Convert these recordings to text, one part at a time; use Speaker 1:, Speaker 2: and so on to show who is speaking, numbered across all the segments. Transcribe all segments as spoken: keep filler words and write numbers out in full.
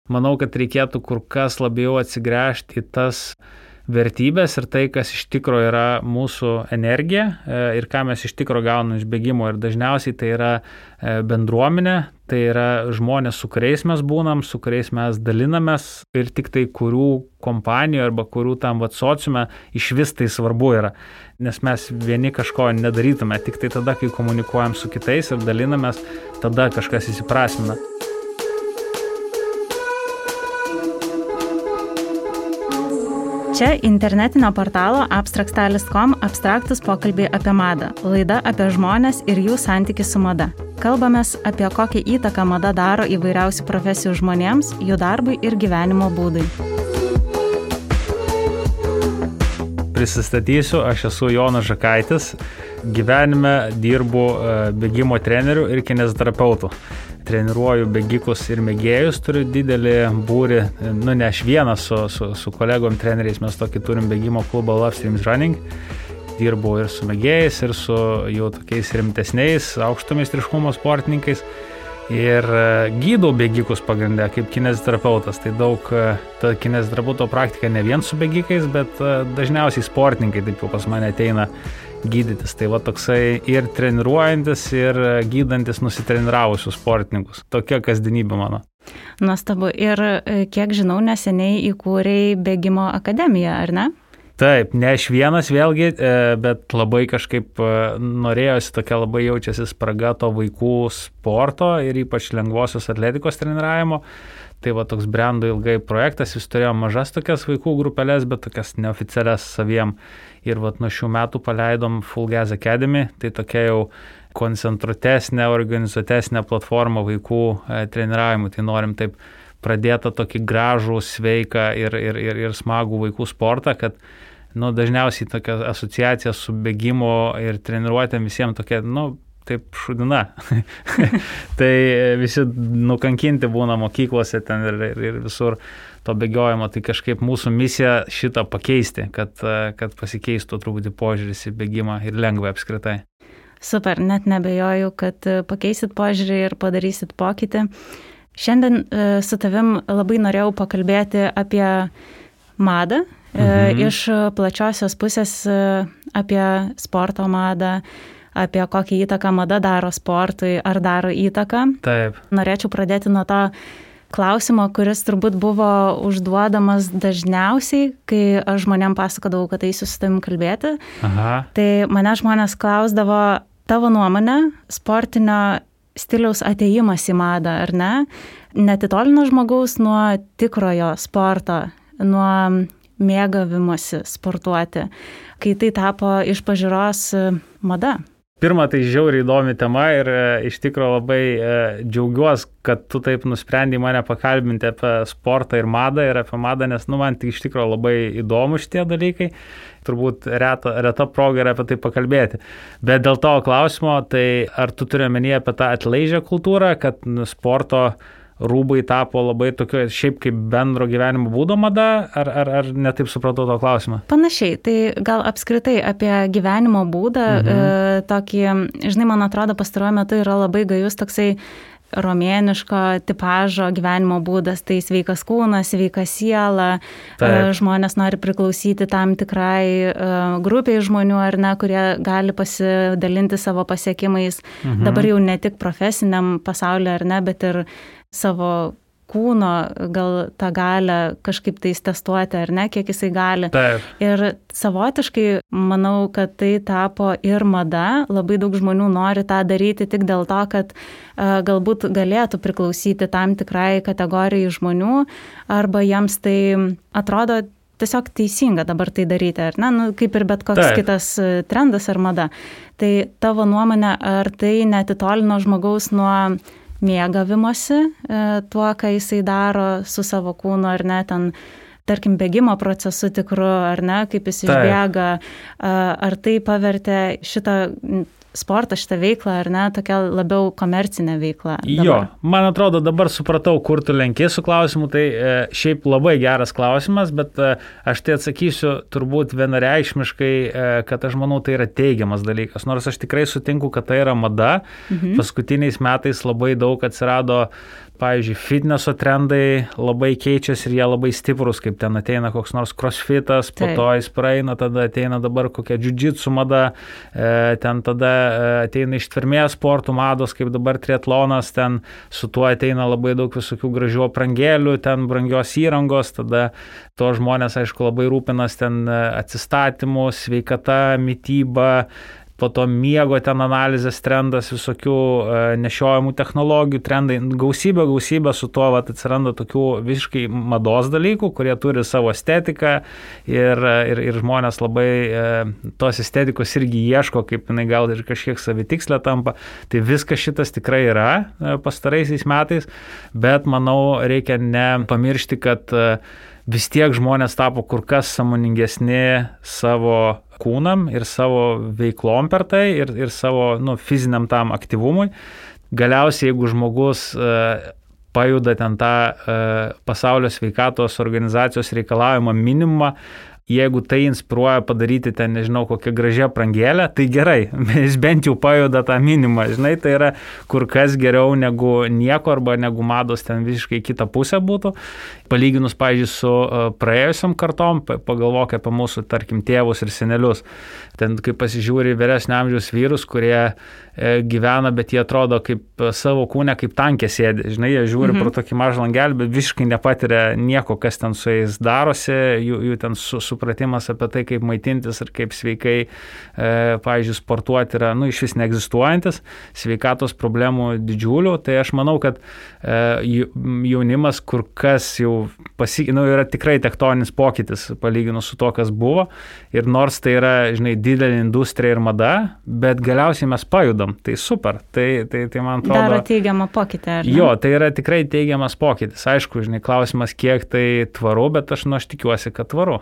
Speaker 1: Manau, kad reikėtų kur kas labiau atsigręžti į tas vertybės ir tai, kas iš tikro yra mūsų energija ir ką mes iš tikro gauname iš bėgimo. Ir dažniausiai tai yra bendruomenė, tai yra žmonės, su kuriais mes būnam, su kuriais mes dalinamės ir tik tai kurių kompanijų arba kurių tam vat sociume iš vis tai svarbu yra. Nes mes vieni kažko nedarytume, tik tai tada, kai komunikuojam su kitais ir dalinamės, tada kažkas įsiprasmina.
Speaker 2: Čia internetinio portalo abstrakt styles dot com abstraktus pokalbiai apie madą. Laida apie žmones ir jų santykį su mada. Kalbamės apie kokią įtaką mada daro įvairiausių profesijų žmonėms, jų darbui ir gyvenimo būdui.
Speaker 1: Prisistatysiu, aš esu Jonas Žakaitis. Gyvenime dirbu bėgimo treneriu ir kineziterapeutu. Treniruoju bėgikus ir mėgėjus, turiu didelį būrį, nu ne aš vienas su, su, su kolegom treneriais, mes tokį turim bėgimo klubą Love Streams Running. Dirbu ir su mėgėjais, ir su jau tokiais rimtesniais, aukšto meistriškumo sportininkais. Ir gydau bėgikus pagrindę kaip kineziterapeutas. Tai daug, ta kineziterapeuto praktika ne vien su bėgikais, bet dažniausiai sportininkai taip jau pas mane ateina gydytis. Tai va toksai ir treniruojantis, ir gydantis nusitreniravusius sportininkus. Tokia kasdienybė mano.
Speaker 2: Nuostabu. Ir kiek žinau, neseniai įkūrei bėgimo akademiją, ar ne?
Speaker 1: Taip, ne aš vienas vėlgi, bet labai kažkaip norėjosi, tokia labai jaučiasi spraga to vaikų sporto ir ypač lengvosios atletikos treniravimo. Tai va toks brendo ilgai projektas, jis turėjo mažas tokias vaikų grupelės, bet tokias neoficialias saviem. Ir va nuo šių metų paleidom Full Gas Academy, tai tokia jau koncentruotesnė, organizuotesnė platforma vaikų treniravimui. Tai norim taip pradėtą tokį gražų, sveiką ir, ir, ir, ir smagų vaikų sportą, kad nu, dažniausiai tokia asociacija su bėgimo ir treniruotėm visiems tokia, nu, taip šudina. Tai visi nukankinti būna mokyklose ten ir, ir, ir visur to bėgiojimo. Tai kažkaip mūsų misija šitą pakeisti, kad, kad pasikeistų truputį požiūris į bėgimą ir lengvai apskritai.
Speaker 2: Super, net nebejoju, kad pakeisit požiūrį ir padarysit pokytį. Šiandien su tavim labai norėjau pakalbėti apie madą, mhm. iš plačiosios pusės apie sporto madą, apie kokią įtaką mada daro sportui, ar daro įtaką.
Speaker 1: Taip.
Speaker 2: Norėčiau pradėti nuo to klausimo, kuris turbūt buvo užduodamas dažniausiai, kai aš žmonėm pasakodavau, kad eisiu su tavim kalbėti.
Speaker 1: Aha.
Speaker 2: Tai mane žmonės klausdavo tavo nuomonę sportinio stiliaus atėjimas į madą, ar ne? Netitolino žmogaus nuo tikrojo sporto, nuo mėgavimosi sportuoti, kai tai tapo iš pažiūros mada.
Speaker 1: Pirma, tai žiauriai įdomi tema ir e, iš tikro labai e, džiaugiuosi, kad tu taip nusprendai mane pakalbinti apie sportą ir madą ir apie madą, nes nu, man tai iš tikro labai įdomu šitie dalykai. Turbūt reta, reta proga yra apie tai pakalbėti. Bet dėl to klausimo, tai ar tu turi omenyje apie tą atleidžią kultūrą, kad nu, sporto rūbai tapo labai tokio šiaip kaip bendro gyvenimo būdo mada, ar, ar, ar netaip supratau to klausimą?
Speaker 2: Panašiai, tai gal apskritai apie gyvenimo būdą, mhm. e, tokį, žinai, man atrodo, pastaruoju metu yra labai gajus toksai romėniško tipažo gyvenimo būdas, tai sveikas kūnas, sveika siela, Taip. Žmonės nori priklausyti tam tikrai uh, grupiai žmonių, ar ne, kurie gali pasidalinti savo pasiekimais, mhm. dabar jau ne tik profesiniam pasaulyje, ar ne, bet ir savo kūno gal tą galę kažkaip tais testuoti, ar ne, kiek jisai gali.
Speaker 1: Taip.
Speaker 2: Ir savotiškai manau, kad tai tapo ir mada. Labai daug žmonių nori tą daryti tik dėl to, kad uh, galbūt galėtų priklausyti tam tikrai kategorijai žmonių, arba jiems tai atrodo tiesiog teisinga dabar tai daryti, ar ne, nu, kaip ir bet koks Taip. Kitas trendas ar mada. Tai tavo nuomonė, ar tai netitolino žmogaus nuo mėgavimosi tuo, ką jisai daro su savo kūnu, ar ne, ten, tarkim, bėgimo procesu tikru, ar ne, kaip jis išbėga, ar tai pavertė šitą sportą, šitą veiklą, ar ne, tokia labiau komercinė veikla. Dabar.
Speaker 1: Jo, man atrodo, dabar supratau, kur tu lenki su klausimu, tai e, šiaip labai geras klausimas, bet e, aš tai atsakysiu turbūt vienareikšmiškai, e, kad aš manau, tai yra teigiamas dalykas, nors aš tikrai sutinku, kad tai yra mada. Mhm. Paskutiniais metais labai daug atsirado pavyzdžiui, fitneso trendai labai keičiasi ir jie labai stiprus, kaip ten ateina koks nors crossfitas, po to jis praeina, tada ateina dabar kokia jiu-jitsu mada, ten tada ateina ištvermės sportų mados, kaip dabar triatlonas, ten su tuo ateina labai daug visokių gražių aprangėlių, ten brangios įrangos, tada to žmonės, aišku, labai rūpinas ten atsistatymu, sveikata, mytyba, po to miego ten analizės trendas, visokių e, nešiojamų technologijų trendai, gausybė, gausybė su tuo vat, atsiranda tokių visiškai mados dalykų, kurie turi savo estetiką ir, ir, ir žmonės labai e, tos estetikos irgi ieško, kaip jinai gal ir kažkiek savitikslė tampa. Tai viskas šitas tikrai yra e, pastaraisiais metais, bet manau reikia nepamiršti, kad e, vis tiek žmonės tapo kur kas sąmoningesni savo kūnam ir savo veiklom per tai ir, ir savo nu, fiziniam tam aktyvumui. Galiausiai, jeigu žmogus e, pajuda ten tą e, pasaulio sveikatos organizacijos reikalavimą minimumą, jeigu tai inspiruoja padaryti ten, nežinau, kokią gražią aprangėlę, tai gerai, jis bent jau pajuda tą minimumą, žinai, tai yra kur kas geriau negu nieko arba negu mados ten visiškai kitą pusę būtų. Palyginus, pavyzdžiui, su praėjusiam kartom, pagalvok apie mūsų, tarkim, tėvus ir senelius. Ten, kai pasižiūri vyresnio amžiaus vyrus, kurie gyvena, bet jie atrodo kaip savo kūne, kaip tankė sėdi. Žinai, jie žiūri mhm. pro tokį mažą langelį, bet visiškai nepatiria nieko, kas ten su jais darosi, jų, jų ten su, supratimas apie tai, kaip maitintis ir kaip sveikai, e, pavyzdžiui, sportuoti yra, nu, iš vis neegzistuojantis, sveikatos problemų didžiulių. Tai aš manau, kad e, jaunimas kur kas jau pasi, nu, yra tikrai tektoninis pokytis palyginus su to, kas buvo. Ir nors tai yra, žinai, didelė industrija ir mada, bet galiausiai mes pajudam. Tai super. Tai, tai, tai man atrodo...
Speaker 2: Daro teigiamą pokytį, ar ne?
Speaker 1: Jo, tai yra tikrai teigiamas pokytis. Aišku, žinai, klausimas, kiek tai tvaru, bet aš, nu, aš tikiuosi, kad tvaru.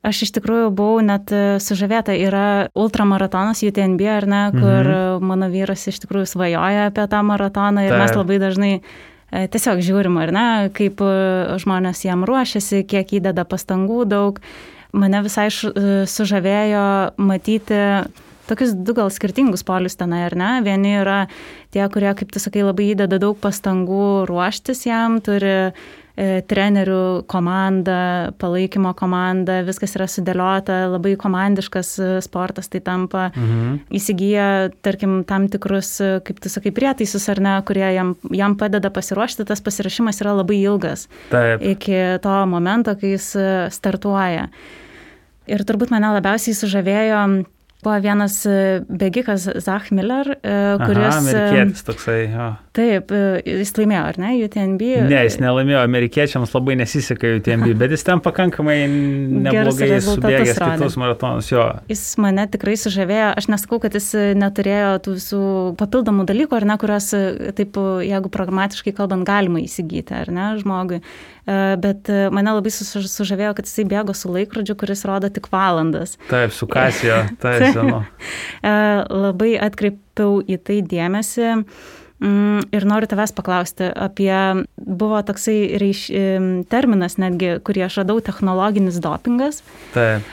Speaker 2: Aš iš tikrųjų buvau net sužavėta, yra ultramaratonas U T M B, ar ne, kur mhm. mano vyras iš tikrųjų svajoja apie tą maratoną ir tai. Mes labai dažnai tiesiog žiūrim, ar ne, kaip žmonės jam ruošiasi, kiek įdeda pastangų daug. Mane visai sužavėjo matyti tokius du gal skirtingus polius tenai, ar ne? Vieni yra tie, kurie, kaip tu sakai, labai įdeda daug pastangų ruoštis jam, turi e, trenerių komandą, palaikymo komandą, viskas yra sudėliota, labai komandiškas sportas tai tampa. Mhm. Įsigyja, tarkim, tam tikrus, kaip tu sakai, prietaisus, ar ne, kurie jam, jam padeda pasiruošti, tas pasirašymas yra labai ilgas. Taip. Iki to momento, kai jis startuoja. Ir turbūt mane labiausiai sužavėjo buvo vienas bėgikas Zach Miller, kuris...
Speaker 1: Aha, amerikietis toksai, jo.
Speaker 2: Taip, jis laimėjo, ar ne, U T M B?
Speaker 1: Ne, jis nelaimėjo, amerikiečiams labai nesiseka U T M B, bet jis ten pakankamai neblogai subėgęs kitus maratonus, jo.
Speaker 2: Jis mane tikrai sužavėjo, aš nesakau, kad jis neturėjo tų visų papildomų dalykų, ar ne, kurios, taip, jeigu pragmatiškai kalbant, galima įsigyti, ar ne, žmogui. Bet mane labai sužavėjo, kad jisai bėgo su laikrodžiu, kuris rodo tik valandas.
Speaker 1: Taip, su Casio, taip, žinau.
Speaker 2: Labai atkreipiau į tai dėmesį ir noriu tavęs paklausti apie, buvo toksai reiš, terminas netgi, kurį aš radau, technologinis dopingas. Taip.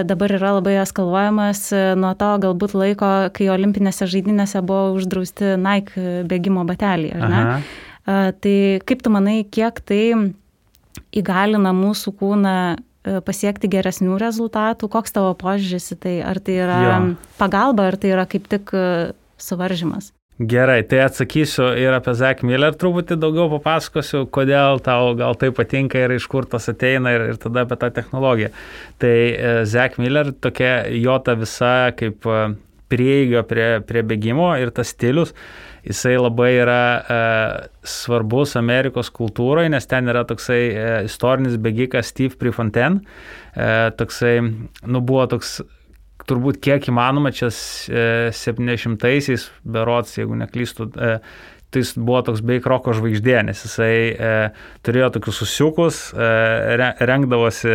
Speaker 2: Dabar yra labai eskaluojamas nuo to galbūt laiko, kai olimpinėse žaidynėse buvo uždrausti Nike bėgimo bateliai, ar ne? Aha. Tai kaip tu manai, kiek tai įgalina mūsų kūną pasiekti geresnių rezultatų? Koks tavo požiūris į tai? Ar tai yra jo. Pagalba, ar tai yra kaip tik suvaržymas?
Speaker 1: Gerai, tai atsakysiu ir apie Zach Miller truputį daugiau papasakosiu, kodėl tau gal tai patinka ir iš kur tas ateina ir, ir tada apie tą technologiją. Tai Zach Miller tokia jo ta visa kaip prieiga prie, prie bėgimo ir tas stilius, jisai labai yra e, svarbus Amerikos kultūroje, nes ten yra toksai e, istorinis bėgikas Steve Prefontaine. E, toksai, nu buvo toks, turbūt kiek įmanoma, čia e, septyniasdešimtaisiais berods, jeigu neklystu, e, tai jis buvo toks beveik roko žvaigždė, nes jisai e, turėjo tokius susiukus, e, rengdavosi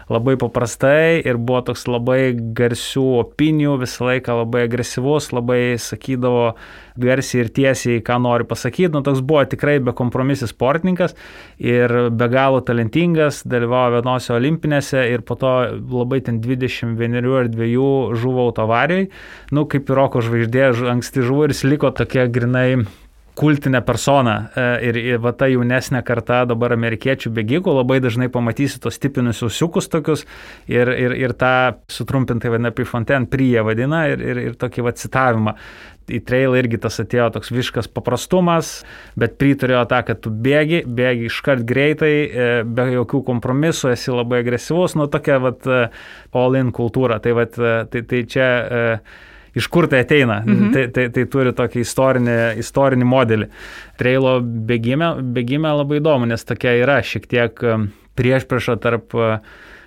Speaker 1: labai paprastai ir buvo toks labai garsių opinijų, visą laiką labai agresyvus, labai sakydavo garsiai ir tiesiai, ką nori pasakyti. Nu, toks buvo tikrai bekompromisis sportininkas ir be galo talentingas, dalyvavo vienose olimpinėse ir po to labai ten dvidešimt vienerių ar dviejų žuvo autoavarijai. Nu, kaip ir roko žvaigždė, anksti žuvo ir jis liko tokia grinai kultinė persona ir, ir va ta jaunesnė karta dabar amerikiečių bėgikų labai dažnai pamatysi tos tipinius ausiukus tokius ir, ir, ir tą sutrumpintai vadina Prefontaine, Prie vadina ir, ir, ir tokį va citavimą. Į trailą irgi tas atėjo toks visiškas paprastumas, bet priturėjo tą, kad tu bėgi, bėgi iškart greitai, be jokių kompromisų, esi labai agresyvus, nu tokia vat all-in kultūra. Tai, vat, tai, tai čia iš kur tai ateina, mhm. tai, tai, tai turi tokį istorinį, istorinį modelį. Trailo bėgime, bėgime labai įdomu, nes tokia yra šiek tiek priešprieša tarp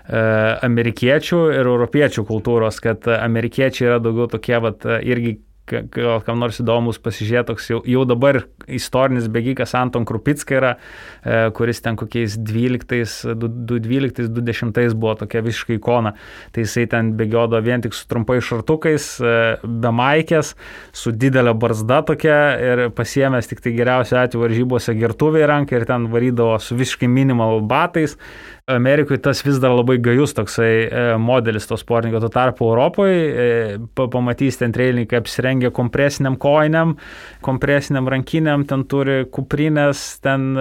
Speaker 1: amerikiečių ir europiečių kultūros, kad amerikiečiai yra daugiau tokie vat irgi gal kam nors įdomus pasižiūrėti, toks jau, jau dabar istorinis bėgikas Anton Krupicka yra, kuris ten kokiais dvyliktais, du dvyliktais, du dešimtais buvo tokia visiškai ikona. Tai jisai ten bėgiodo vien tik su trumpai šartukais, be maikės, su didelė barzda tokia ir pasiėmęs tik tai geriausiu atveju varžybose gertuvę į ranką ir ten varydavo su visiškai minimal batais. Amerikoje tas vis dar labai gajus toksai modelis to sportininko, tuo tarpu Europoje pamatys ten trailininkai apsirengia kompresiniam kojiniam, kompresiniam rankiniam, ten turi kuprinės, ten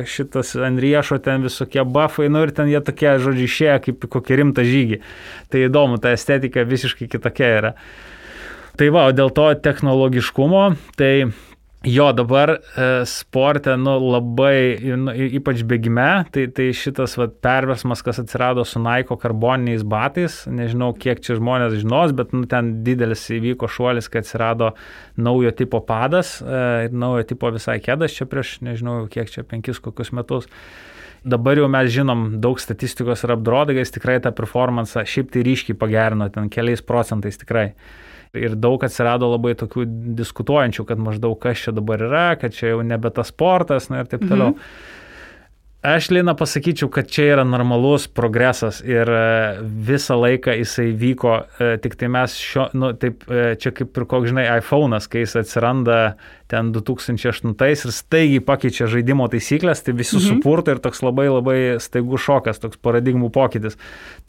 Speaker 1: šitas ant riešo, ten visokie buffai, nu ir ten jie tokie, žodžiu, išėję kaip kokį rimtą žygį. Tai įdomu, ta estetika visiškai kitokia yra. Tai va, o dėl to technologiškumo, tai jo, dabar e, sporte, nu, labai, nu, ypač bėgime, tai, tai šitas va, perversmas, kas atsirado su Nike karboniniais batais, nežinau, kiek čia žmonės žinos, bet nu, ten didelis įvyko šuolis, kai atsirado naujo tipo padas, e, naujo tipo visai kėdas čia prieš, nežinau, kiek čia penkis kokius metus. Dabar jau mes žinom daug statistikos ir apdrodagais, tikrai tą performansą šiaip tai ryškiai pagerino, ten keliais procentais tikrai. Ir daug atsirado labai tokių diskutuojančių, kad maždaug kas čia dabar yra, kad čia jau nebe tas sportas, na ir taip toliau. Mhm. Aš, Lina, pasakyčiau, kad čia yra normalus progresas ir visą laiką jisai vyko, tik tai mes šio, nu, taip, čia kaip ir koks, žinai, iPhone'as, kai jis atsiranda ten du tūkstančiai aštuntais ir staigiai pakeičia žaidimo taisyklės, tai visi mhm. supurto ir toks labai labai staigus šokas, toks paradigmų pokytis.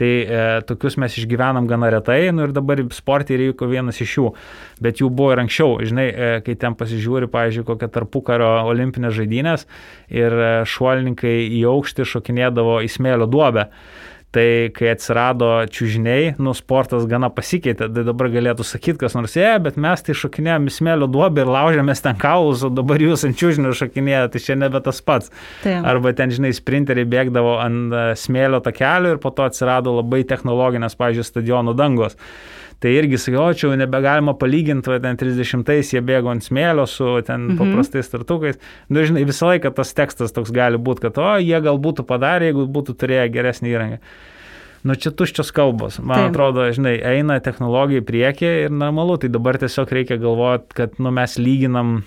Speaker 1: Tai e, tokius mes išgyvenam gana retai, nu ir dabar sportai įvyko vienas iš jų, bet jų buvo ir anksčiau, žinai, e, kai ten pasižiūri, pavyzdžiui, kokią tarpukario olimpinės žaidynės ir e, šuolininkai į aukštį šokinėdavo į smėlio duobę. Tai kai atsirado čiužiniai, nu, sportas gana pasikeitė, tai dabar galėtų sakyti, kas nors, e, bet mes tai šokinėjom į smėlio duobę ir laužėmės ten kaulus, o dabar jūs ant čiužinio šokinėjate, tai čia nebe tas pats. Taip. Arba ten, žinai, sprinteriai bėgdavo ant smėlio takelio ir po to atsirado labai technologinės, pavyzdžiui, stadionų dangos. Tai irgi sakiau, čia jau nebegalima palyginti, va, ten trisdešimtais jie bėgo ant smėlio su ten mhm. paprastais startukais. Nu, žinai, visą laiką tas tekstas toks gali būti, kad o, jie gal būtų padarę, jeigu būtų turėję geresnį įrangą. Nu, čia tuščios kalbos. Man Taip. Atrodo, žinai, eina technologija į priekį ir normalu, tai dabar tiesiog reikia galvoti, kad nu, mes lyginam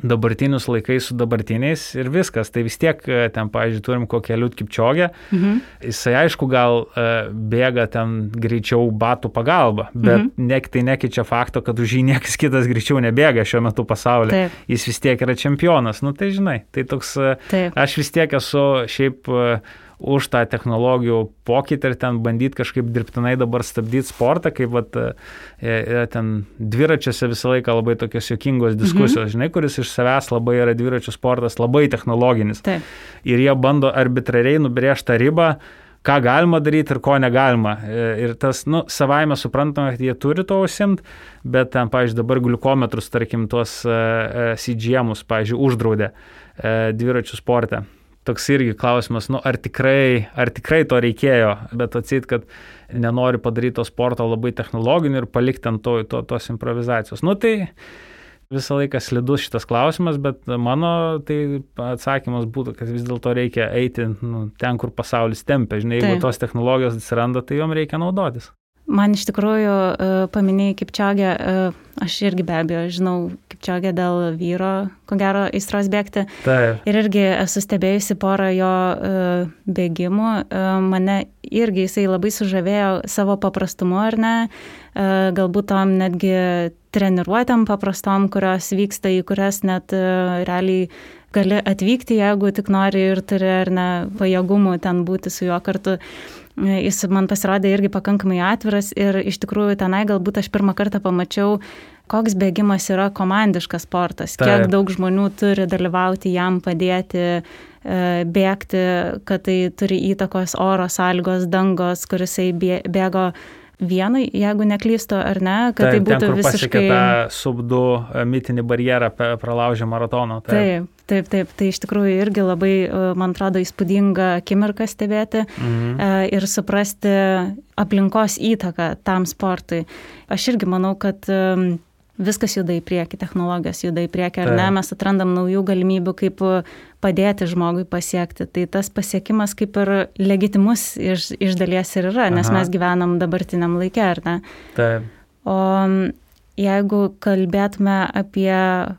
Speaker 1: dabartinius laikais su dabartiniais ir viskas. Tai vis tiek ten, pavyzdžiui, turim kokią Eliud Kipčiogę. Mhm. Jisai, aišku, gal uh, bėga ten greičiau batų pagalba, bet mhm. ne, tai nekeičia fakto, kad už jį niekas kitas greičiau nebėga šiuo metu pasaulyje. Taip. Jis vis tiek yra čempionas. Nu, tai žinai, tai toks, Taip. Aš vis tiek esu šiaip uh, už tą technologijų pokytį ir ten bandyti kažkaip dirbtinai dabar stabdyti sportą, kaip vat, e, ten dviračiuose visą laiką labai tokios juokingos diskusijos, mhm. žinai, kuris iš savęs labai yra dviračių sportas, labai technologinis. Taip. Ir jie bando arbitrariai nubrėžti tą ribą, ką galima daryti ir ko negalima. Ir tas, nu, savaime suprantama, kad jie turi to užsiimti, bet ten, pavyzdžiui, dabar gliukometrus, tarkim, tuos uh, C G M-us, pavyzdžiui, uždraudė uh, dviračių sporte. Toks irgi klausimas, nu, ar tikrai, ar tikrai to reikėjo, bet atseit, kad nenori padaryti to sporto labai technologinį ir palikti ant to, to, tos improvizacijos. Nu, tai visą laiką slidus šitas klausimas, bet mano tai atsakymas būtų, kad vis dėlto reikia eiti nu, ten, kur pasaulis tempia. Žinai, jeigu tos technologijos atsiranda, tai jom reikia naudotis.
Speaker 2: Man iš tikrųjų paminėjai Kipčiogę, aš irgi be abejo žinau Kipčiogę dėl vyro, ko gero, aistros bėgti. Taip. Ir irgi esu stebėjusi porą jo bėgimų. Mane irgi jisai labai sužavėjo savo paprastumu, ar ne? Galbūt tom netgi treniruotėm paprastom, kurios vyksta, į kurias net realiai gali atvykti, jeigu tik nori ir turi ar ne pajėgumų ten būti su juo kartu. Jis man pasirodė irgi pakankamai atviras ir iš tikrųjų tenai galbūt aš pirmą kartą pamačiau koks bėgimas yra komandiškas sportas,
Speaker 1: Taip.
Speaker 2: kiek daug žmonių turi dalyvauti, jam padėti bėgti, kad tai turi įtakos oro sąlygos, dangos, kuris bėgo vienai, jeigu neklystu, ar ne, kad
Speaker 1: taip,
Speaker 2: tai būtų
Speaker 1: ten, kur
Speaker 2: visiškai...
Speaker 1: pasiekė tą sub du mitinį barjerą, pralaužė maratoną.
Speaker 2: Taip. taip, taip, taip. Tai iš tikrųjų irgi labai, man atrodo, įspūdinga akimirka stebėti mhm. ir suprasti aplinkos įtaką tam sportui. Aš irgi manau, kad viskas juda į priekį, technologijos juda į priekį, ar ne, mes atrandam naujų galimybių, kaip padėti žmogui pasiekti. Tai tas pasiekimas kaip ir legitimus iš, iš dalies ir yra, nes Aha. mes gyvenam dabartiniam laike, ar ne?
Speaker 1: Taip.
Speaker 2: O jeigu kalbėtume apie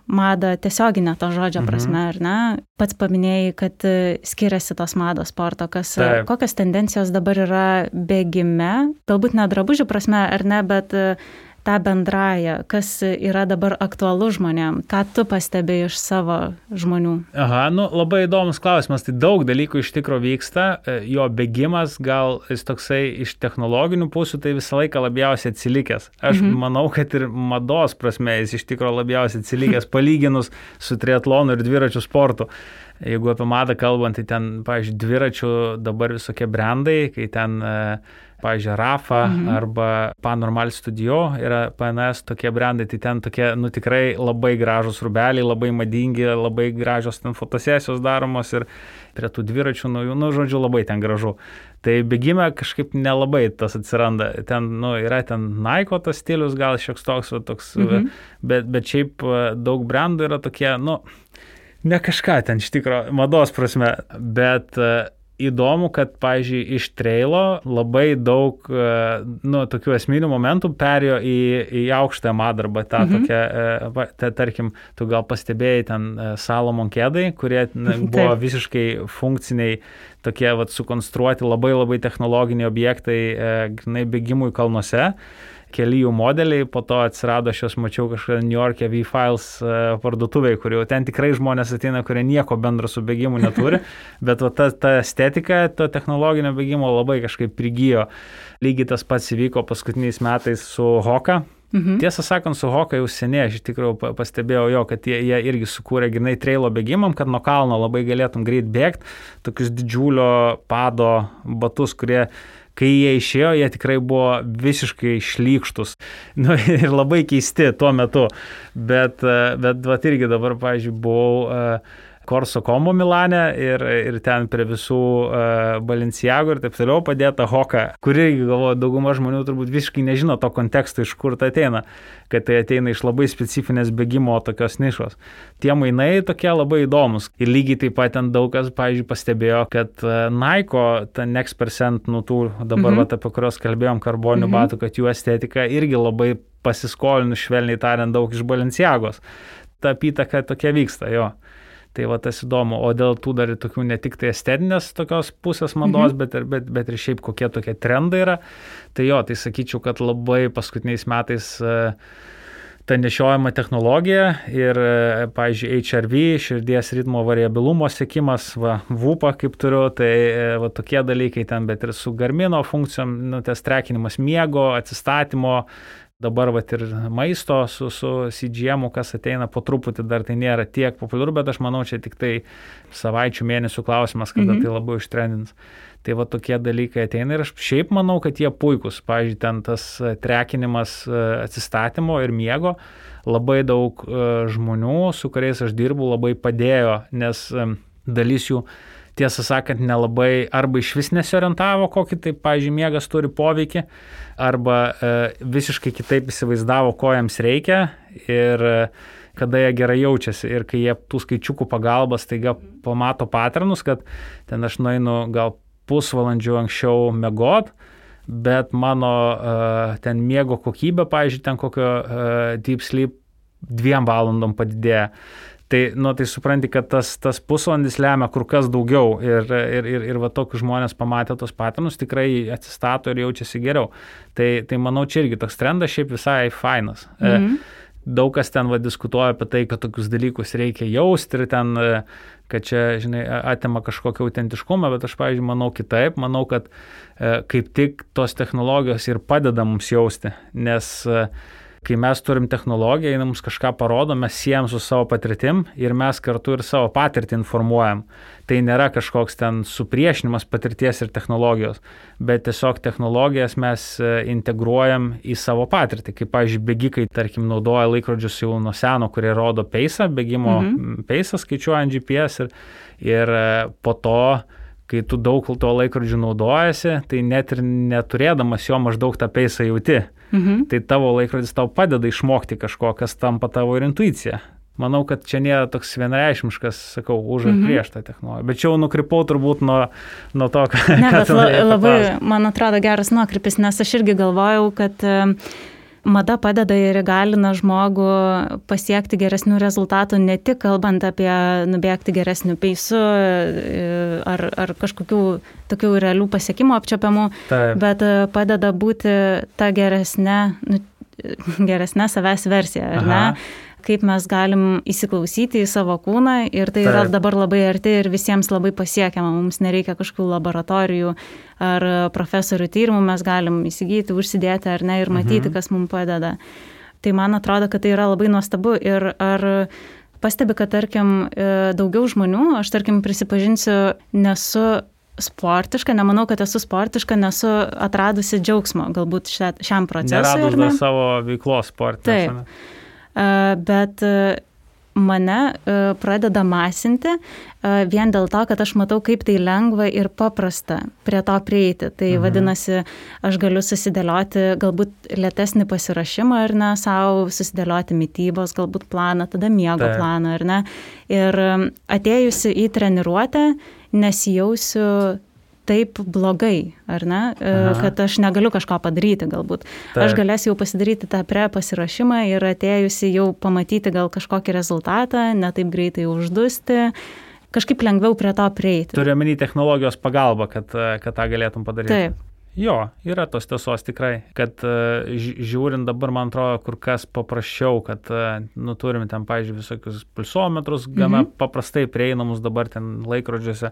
Speaker 2: madą tiesioginę to žodžio prasme, mhm. ar ne, pats paminėjai, kad skiriasi tos mados sporto, kas,
Speaker 1: Taip.
Speaker 2: kokios tendencijos dabar yra bėgime, galbūt ne drabužių prasme, ar ne, bet tą bendrąją, kas yra dabar aktualu žmonėm, ką tu pastebėjai iš savo žmonių?
Speaker 1: Aha, nu labai įdomus klausimas, tai daug dalykų iš tikro vyksta, jo bėgimas gal jis toksai iš technologinių pusių, tai visą laiką labiausiai atsilikęs. Aš mhm. manau, kad ir mados prasme jis iš tikro labiausiai atsilikęs, palyginus su triatlonu ir dviračių sportu. Jeigu apie madą kalbant, tai ten, pavyzdžiui, dviračių dabar visokie brandai, kai ten pavyzdžiui, Rafa mhm. arba Panormal Studio yra P N S tokie brandai, tai ten tokie, nu tikrai labai gražus rūbeliai, labai madingi, labai gražios ten fotosesijos daromos ir prie tų dviračių naujų, nu, žodžiu, labai ten gražu. Tai bėgime kažkaip nelabai tas atsiranda. Ten, nu, yra ten Nike tas stilius, gal šioks toks, toks mhm. bet, bet šiaip daug brandų yra tokie, nu, ne kažką ten iš tikro mados prasme, bet įdomu, kad, pavyzdžiui, iš trailo labai daug, nu, tokių esminių momentų perėjo į, į aukštąją madą arba tą mhm. tokią, ta, tarkim, tu gal pastebėjai ten Salomon kedai, kurie buvo visiškai funkciniai, tokie, vat, sukonstruoti labai labai technologiniai objektai, grynai bėgimui kalnuose. Keli jų modeliai, po to atsirado, aš jos mačiau kažkada New York'e V-Files parduotuvėje, kur jau ten tikrai žmonės ateina, kurie nieko bendro su bėgimu neturi, bet va, ta, ta estetika, to technologinio bėgimo labai kažkaip prigijo. Lygiai tas pats įvyko paskutiniais metais su Hoka. Mhm. Tiesą sakant, su Hoka jau seniai, aš iš tikrųjų pastebėjau jo, kad jie, jie irgi sukūrė grynai trailo bėgimam, kad nuo kalno labai galėtum greit bėgti, tokius didžiulio pado batus, kurie kai jie išėjo, jie tikrai buvo visiškai šlykštus, nu, ir labai keisti tuo metu, bet, bet vat irgi dabar, pavyzdžiui, buvau Corso Como Milane ir, ir ten prie visų uh, Balenciago ir taip toliau padėta Hoka, kuri, galvoju, dauguma žmonių turbūt visiškai nežino to konteksto, iš kur tai ateina, kad tai ateina iš labai specifinės bėgimo tokios nišos. Tie mainai tokie labai įdomus. Ir lygiai taip pat ten daug kas, pavyzdžiui, pastebėjo, kad uh, Nike, ta Next Percent, nu tų dabar, mm-hmm. vat, apie kurios kalbėjom, karboninių mm-hmm. batų, kad jų estetika irgi labai pasiskolinus, švelniai tariant, daug iš Balenciagos. Ta apytaka tokia vyksta, jo. Tai va tas įdomu, o dėl tų dar tokių ne tik tai estetinės tokios pusės mados, mhm. bet, ir, bet, bet ir šiaip kokie tokie trendai yra. Tai jo, tai sakyčiau, kad labai paskutiniais metais uh, ta nešiojama technologija ir, uh, pavyzdžiui, H R V, širdies ritmo variabilumo sekimas, va, VUPA kaip turiu, tai uh, va, tokie dalykai ten, bet ir su Garmino funkcijom, nu, tas trekinimas miego, atsistatymo, dabar vat ir maisto su, su C G M-u, kas ateina po truputį, dar tai nėra tiek populiaru, bet aš manau, čia tik tai savaičių, mėnesių klausimas, kada mm-hmm. tai labai ištrendins. Tai va tokie dalykai ateina ir aš šiaip manau, kad jie puikus. Pavyzdžiui, ten tas trekinimas atsistatymo ir miego, labai daug žmonių, su kuriais aš dirbu, labai padėjo, nes dalis jų, tiesą sakant, nelabai arba iš vis nesiorientavo, kokį tai, pavyzdžiui, miegas turi poveikį, arba e, visiškai kitaip įsivaizdavo, ko jiems reikia ir e, kada jie gerai jaučiasi. Ir kai jie tų skaičiukų pagalbas taiga pamato patternus, kad ten aš nueinu gal pusvalandžių anksčiau miegot, bet mano e, ten miego kokybė, pavyzdžiui, ten kokio e, deep sleep dviem valandom padidėja. Tai, nu, tai supranti, kad tas, tas pusvalandis lemia kur kas daugiau ir, ir, ir, ir va tokius žmonės pamatę tos patternus tikrai atsistato ir jaučiasi geriau. Tai, tai manau, čia irgi toks trendas šiaip visai fainas. Mm-hmm. Daug kas ten va diskutuoja apie tai, kad tokius dalykus reikia jausti ir ten, kad čia, žinai, atima kažkokią autentiškumą, bet aš, pavyzdžiui, manau kitaip. Manau, kad kaip tik tos technologijos ir padeda mums jausti, nes kai mes turim technologiją, jinai mums kažką parodo, mes siejam su savo patirtim ir mes kartu ir savo patirtį informuojam. Tai nėra kažkoks ten supriešinimas patirties ir technologijos, bet tiesiog technologijas mes integruojam į savo patirtį. Kaip, pavyzdžiui, bėgikai, tarkim, naudoja laikrodžius jau nuo seno, kurie rodo peisą, bėgimo mhm. peisą skaičiuojant G P S ir, ir po to, kai tu daug to laikrodžių naudojasi, tai net ir neturėdamas jo maždaug tą peisą jauti. Mhm. Tai tavo laikrodis tau padeda išmokti kažko, kas tampa tavo ir intuicija. Manau, kad čia nėra toks vienareikšmiškas, sakau, už ar prieš tą technologiją. Bet čia jau nukrypau turbūt nuo, nuo to, ką...
Speaker 2: Ne, bet la, labai, man atrodo, geras nukrypis, nes aš irgi galvojau, kad mada padeda ir įgalina žmogų pasiekti geresnių rezultatų, ne tik kalbant apie nubėgti geresnių peisų ar, ar kažkokių tokių realių pasiekimų apčiapiamų, Taip. bet padeda būti ta geresnė, nu, geresnė savęs versija, ar Aha. ne? Kaip mes galim įsiklausyti į savo kūną ir tai Taip. Yra dabar labai arti ir visiems labai pasiekiama. Mums nereikia kažkokių laboratorijų ar profesorių tyrimų, mes galim įsigyti, užsidėti ar ne ir matyti, mhm. kas mums padeda. Tai man atrodo, kad tai yra labai nuostabu ir ar pastebi, kad tarkim daugiau žmonių, aš tarkim prisipažinsiu, nesu sportiška, nemanau, kad esu sportiška, nesu atradusi džiaugsmo galbūt šia, šiam procesui.
Speaker 1: Neradus dar savo veiklos sportinės.
Speaker 2: Taip. Bet mane pradeda masinti vien dėl to, kad aš matau, kaip tai lengva ir paprasta prie to prieiti. Tai mhm. vadinasi, aš galiu susidėlioti galbūt lėtesnį pasirašymą ar ne, savo susidėlioti mitybos galbūt planą, tada miego Taip. Planą ar ne. Ir atėjusi į treniruotę nesijausiu taip blogai, ar ne, Aha. kad aš negaliu kažko padaryti galbūt. Taip. Aš galėsiu jau pasidaryti tą pre pasirašymą ir atėjusi jau pamatyti gal kažkokį rezultatą, ne taip greitai uždusti, kažkaip lengviau prie to prieiti.
Speaker 1: Turiu omeny technologijos pagalbą, kad, kad tą galėtum padaryti.
Speaker 2: Taip.
Speaker 1: Jo, yra tos tiesos tikrai, kad žiūrint dabar, man atrodo, kur kas paprasčiau, kad nu, turime ten, pavyzdžiui, visokius pulsometrus, gana mhm. paprastai prieinamus dabar ten laikrodžiuose,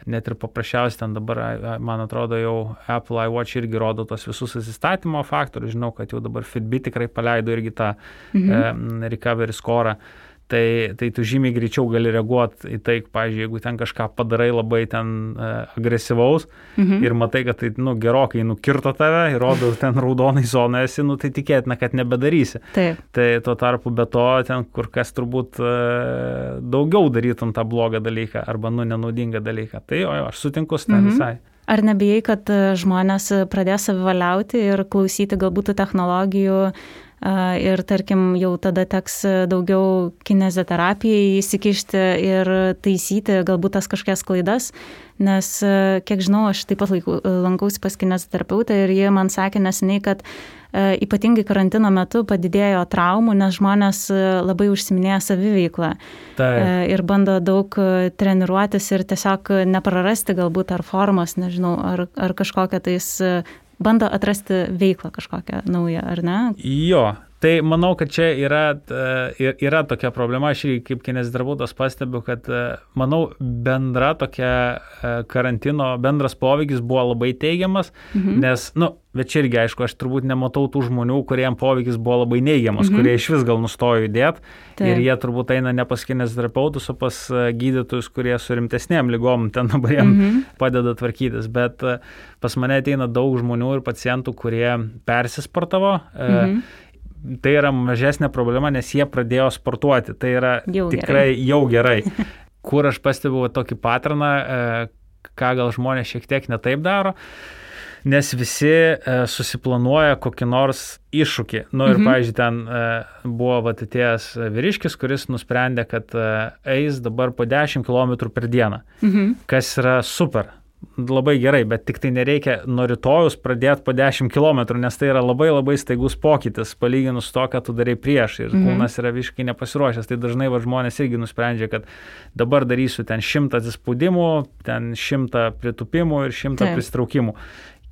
Speaker 1: net ir paprasčiausiai ten dabar, man atrodo, jau Apple iWatch irgi rodo tos visus asistatymo faktorius, žinau, kad jau dabar Fitbit tikrai paleido irgi tą mhm. e, recovery score. Tai, tai tu žymiai greičiau gali reaguoti į tai, pavyzdžiui, jeigu ten kažką padarai labai ten e, agresyvaus mhm. ir matai, kad tai nu, gerokai nukirto tave ir rodo ten raudonai zonoje esi, nu, tai tikėtina, kad nebedarysi.
Speaker 2: Taip.
Speaker 1: Tai tuo tarpu be to ten kur kas turbūt e, daugiau darytum tą blogą dalyką arba nu, nenaudingą dalyką. Tai jo, jo, aš sutinku su ten mhm. visai.
Speaker 2: Ar nebijai, kad žmonės pradės savivaliauti ir klausyti galbūt technologijų ir, tarkim, jau tada teks daugiau kineziterapijai įsikišti ir taisyti galbūt tas kažkokias klaidas, nes, kiek žinau, aš taip pat laiku, lankausi pas kineziterapeutą ir jie man sakė neseniai, kad e, ypatingai karantino metu padidėjo traumų, nes žmonės labai užsiminėja saviveiklą e, ir bando daug treniruotis ir tiesiog neprarasti galbūt ar formos, nežinau, ar, ar kažkokią tais bando atrasti veiklą kažkokią naują, ar ne?
Speaker 1: Jo, tai manau, kad čia yra, yra tokia problema, aš irgi kaip kineziterapeutas pastebiu, kad manau bendra tokia karantino, bendras poveikis buvo labai teigiamas, mhm. nes, nu, bet čia irgi aišku, aš turbūt nematau tų žmonių, kuriem poveikis buvo labai neigiamas, mhm. kurie iš vis gal nustojo judėti ir jie turbūt eina ne pas kineziterapeutus, o pas gydytojus, kurie su rimtesnėm ligom ten dabar jiem mhm. padeda tvarkytis, bet pas mane ateina daug žmonių ir pacientų, kurie persisportavo, mhm. tai yra mažesnė problema, nes jie pradėjo sportuoti. Tai yra
Speaker 2: jau
Speaker 1: tikrai
Speaker 2: gerai.
Speaker 1: jau gerai. Kur aš pastebiu tokį patroną, ką gal žmonės šiek tiek netaip daro, nes visi susiplanuoja kokį nors iššūkį. Nu ir, mhm. pavyzdžiui, ten buvo vat atėjęs vyriškis, kuris nusprendė, kad eis dabar po dešimt kilometrų per dieną, mhm. kas yra super. Labai gerai, bet tik tai nereikia nuo rytojus pradėti po dešimt kilometrų, nes tai yra labai labai staigus pokytis, palyginus to, ką tu darai prieš ir mm-hmm. kūnas yra visiškai nepasiruošęs. Tai dažnai va, žmonės irgi nusprendžia, kad dabar darysiu ten šimtą atsispaudimų, ten šimtą pritupimų ir šimtą Taip. Pristraukimų.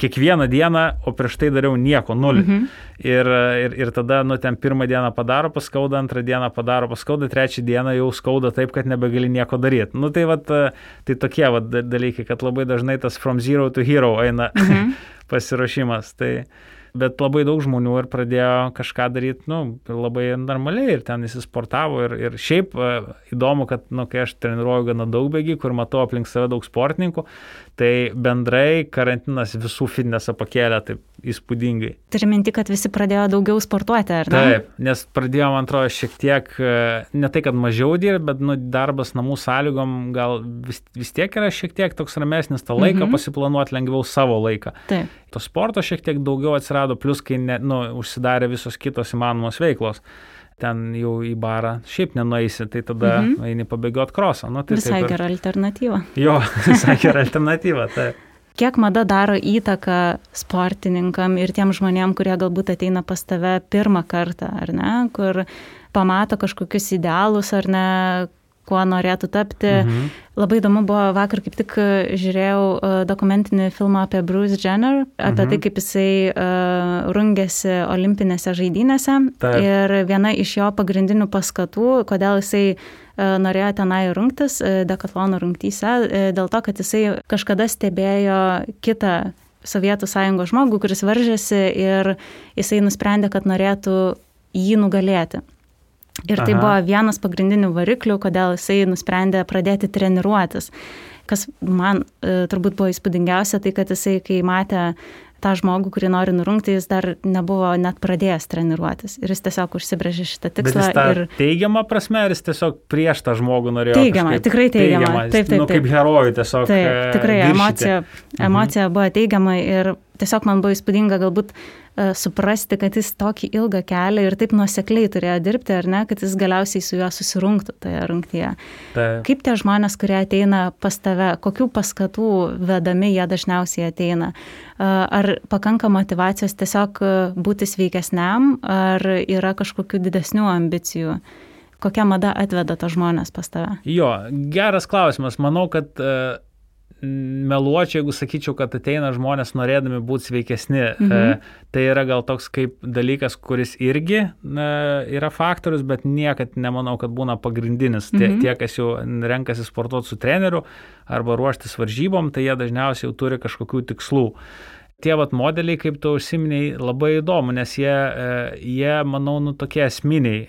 Speaker 1: Kiekvieną dieną, o prieš tai dariau nieko, nulį. Mhm. Ir, ir, ir tada, nu, ten pirmą dieną padaro paskauda, antrą dieną padaro paskauda, trečią dieną jau skauda taip, kad nebegali nieko daryti. Nu, tai, vat, tai tokie vat, dalykai, kad labai dažnai tas from zero to hero eina mhm. pasiruošimas. Tai, Bet labai daug žmonių ir pradėjo kažką daryti, nu, labai normaliai ir ten įsisportavo ir, ir šiaip įdomu, kad, nu, kai aš treniruoju gana daug bėgikų ir matau aplink save daug sportininkų, tai bendrai karantinas visų fitnesą pakėlė taip įspūdingai.
Speaker 2: Turi minti, kad visi pradėjo daugiau sportuoti, ar ne?
Speaker 1: Taip, nes pradėjo, man atrodo, šiek tiek, ne tai, kad mažiau dirbti, bet nu, darbas namų sąlygom gal vis, vis tiek yra šiek tiek toks ramesnis, tą laiką mhm. pasiplanuoti lengviau savo laiką.
Speaker 2: Taip.
Speaker 1: To sporto šiek tiek daugiau atsirado, plus kai ne, nu, užsidarė visos kitos įmanomos veiklos. Ten jau į barą šiaip nenueisi, tai tada mhm. eini pabėgioti krosą. Nu, tai
Speaker 2: visai
Speaker 1: ir...
Speaker 2: gera alternatyva.
Speaker 1: Jo, visai gera alternatyva, taip.
Speaker 2: Kiek mada daro įtaką sportininkam ir tiem žmonėm, kurie galbūt ateina pas tave pirmą kartą, ar ne, kur pamato kažkokius idealus, ar ne, kuo norėtų tapti. Mhm. Labai įdomu buvo, vakar kaip tik žiūrėjau dokumentinį filmą apie Bruce Jenner, apie mhm. tai, kaip jisai uh, rungėsi olimpinėse žaidynėse. Taip. Ir viena iš jo pagrindinių paskatų, kodėl jisai uh, norėjo tenai rungtis uh, dekatlono rungtyse, uh, dėl to, kad jisai kažkada stebėjo kitą Sovietų sąjungos žmogų, kuris varžėsi ir jisai nusprendė, kad norėtų jį nugalėti. Ir tai Aha. buvo vienas pagrindinių variklių, kodėl jisai nusprendė pradėti treniruotis. Kas man e, turbūt buvo įspūdingiausia, tai kad jisai, kai matė tą žmogų, kurį nori nurungti, jis dar nebuvo net pradėjęs treniruotis. Ir jis tiesiog užsibrėžė šitą tikslą.
Speaker 1: Bet jis tą
Speaker 2: ir...
Speaker 1: teigiamą prasme, ar jis tiesiog prieš tą žmogų norėjo?
Speaker 2: Teigiamą, tikrai teigiamą.
Speaker 1: teigiamą.
Speaker 2: Taip, taip,
Speaker 1: nu, kaip herojų tiesiog
Speaker 2: taip, tikrai
Speaker 1: viršyti.
Speaker 2: emocija, emocija mhm. buvo teigiama ir tiesiog man buvo įspūdinga galbūt uh, suprasti, kad jis tokį ilgą kelią ir taip nuosekliai turėjo dirbti, ar ne, kad jis galiausiai su juo susirungtų toje rungtyje.
Speaker 1: Taip.
Speaker 2: Kaip tie žmonės, kurie ateina pas tave, kokių paskatų vedami jie dažniausiai ateina? Uh, ar pakanka motyvacijos tiesiog būti sveikesniam, ar yra kažkokių didesnių ambicijų? Kokia mada atveda tos žmonės pas tave?
Speaker 1: Jo, geras klausimas. Manau, kad uh, meluočiau, jeigu sakyčiau, kad ateina žmonės norėdami būti sveikesni. Mhm. E, tai yra gal toks kaip dalykas, kuris irgi e, yra faktorius, bet niekad nemanau, kad būna pagrindinis. Mhm. Tie, tie, kas jau renkasi sportuoti su treneriu arba ruoštis varžybom, tai jie dažniausiai jau turi kažkokių tikslų. Tie vat modeliai, kaip tu užsiminiai, labai įdomu, nes jie, jie manau, nu, tokie esminiai